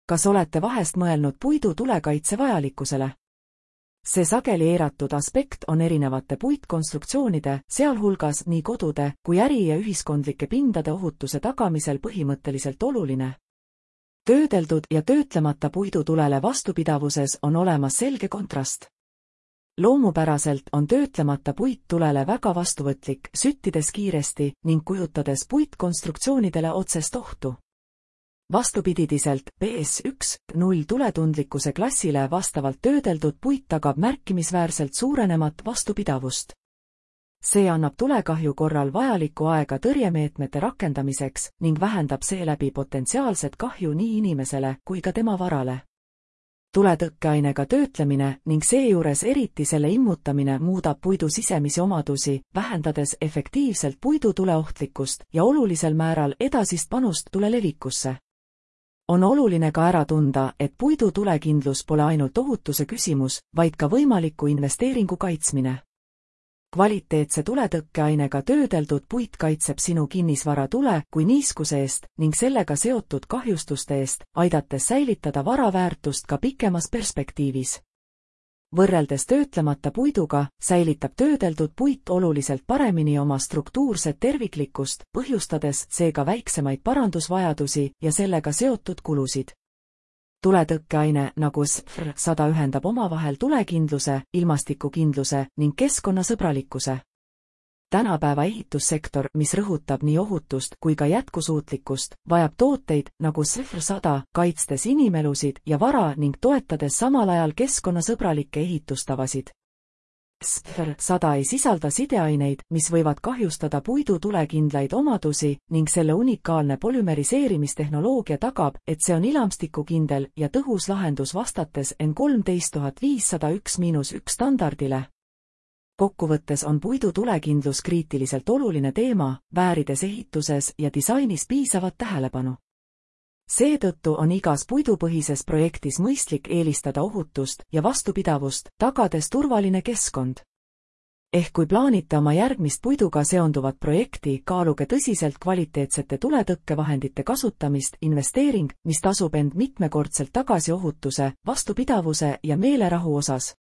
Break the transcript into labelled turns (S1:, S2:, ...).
S1: Kas olete vahest mõelnud puidu tulekaitse vajalikkusele? See sageli eiratud aspekt on erinevate puitkonstruktsioonide, sealhulgas nii kodude kui äri- ja ühiskondlike pindade ohutuse tagamisel põhimõtteliselt oluline. Töödeldud ja töötlemata puidutulele vastupidavuses on olemas selge kontrast. Loomupäraselt on töötlemata puit tulele väga vastuvõtlik, süttides kiiresti ning kujutades puitkonstruktsioonidele otsest ohtu. Vastupididiselt PS1.0 tuletundlikkuse klassile vastavalt töödeldud puit tagab märkimisväärselt suurenemat vastupidavust. See annab tulekahju korral vajalikku aega tõrjemeetmete rakendamiseks ning vähendab seeläbi potentsiaalset kahju nii inimesele kui ka tema varale. Tuletõkkeainega töötlemine ning seejuures eriti selle immutamine muudab puidu sisemisi omadusi, vähendades efektiivselt puidu tuleohtlikkust ja olulisel määral edasist panust tule levikusse. On oluline ka ära tunda, et puidu tulekindlus pole ainult ohutuse küsimus, vaid ka võimaliku investeeringu kaitsmine. Kvaliteetse tuletõkkeainega töödeldud puit kaitseb sinu kinnisvara tule kui niiskuse eest ning sellega seotud kahjustuste eest, aidates säilitada vara väärtust ka pikemas perspektiivis. Võrreldes töötlemata puiduga säilitab töödeldud puit oluliselt paremini oma struktuurset terviklikkust, põhjustades seega väiksemaid parandusvajadusi ja sellega seotud kulusid. Tuletõkkeaine nagu SFR100 ühendab omavahel tulekindluse, ilmastikukindluse ning keskkonnasõbralikkuse. Tänapäeva ehitussektor, mis rõhutab nii ohutust kui ka jätkusuutlikkust, vajab tooteid nagu SFR100, kaitstes inimelusid ja vara ning toetades samal ajal keskkonnasõbralikke ehitustavasid. SFR100 ei sisalda sideaineid, mis võivad kahjustada puidu tulekindlaid omadusi ning selle unikaalne polümeriseerimistehnoloogia tagab, et see on ilmastikukindel ja tõhus lahendus vastates N13501-1 standardile. Kokkuvõttes on puidu tulekindlus kriitiliselt oluline teema, väärides ehituses ja disainis piisavat tähelepanu. Seetõttu on igas puidupõhises projektis mõistlik eelistada ohutust ja vastupidavust, tagades turvaline keskkond. Kui plaanite oma järgmist puiduga seonduvat projekti, kaaluge tõsiselt kvaliteetsete tuletõkkevahendite kasutamist, investeering, mis tasub end mitmekordselt tagasi ohutuse, vastupidavuse ja meelerahu osas.